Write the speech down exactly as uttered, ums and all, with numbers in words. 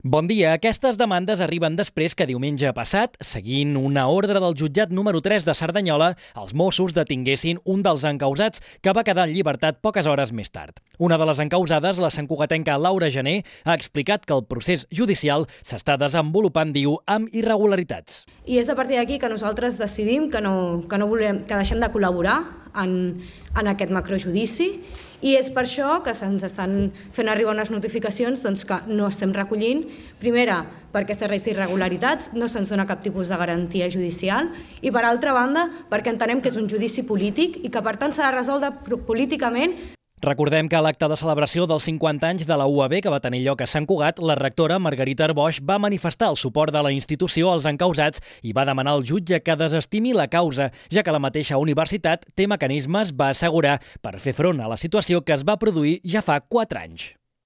Bon dia. Aquestes demandes arriben després que diumenge passat, seguint una ordre del jutjat número tres de Cerdanyola, els Mossos detinguessin un dels encausats que va quedar en llibertat poques hores més tard. Una de les encausades, la santcugatenca Laura Gené, ha explicat que el procés judicial s'està desenvolupant, diu, amb irregularitats. I és a partir d'aquí que nosaltres decidim que, no, que, no volem, que deixem de col·laborar en, en aquest macrojudici, i és per això que se'ns estan fent arribar unes notificacions doncs, que no estem recollint. Primera, per aquestes irregularitats, no se'ns dona cap tipus de garantia judicial, i per altra banda, perquè entenem que és un judici polític i que per tant s'ha de resoldre políticament. Recordem que a l'acte de celebració dels cinquanta anys de la U A B que va tenir lloc a Sant Cugat, la rectora Margarita Arboix va manifestar el suport de la institució als encausats i va demanar al jutge que desestimi la causa, ja que la mateixa universitat té mecanismes, va assegurar, per fer front a la situació que es va produir ja fa quatre anys.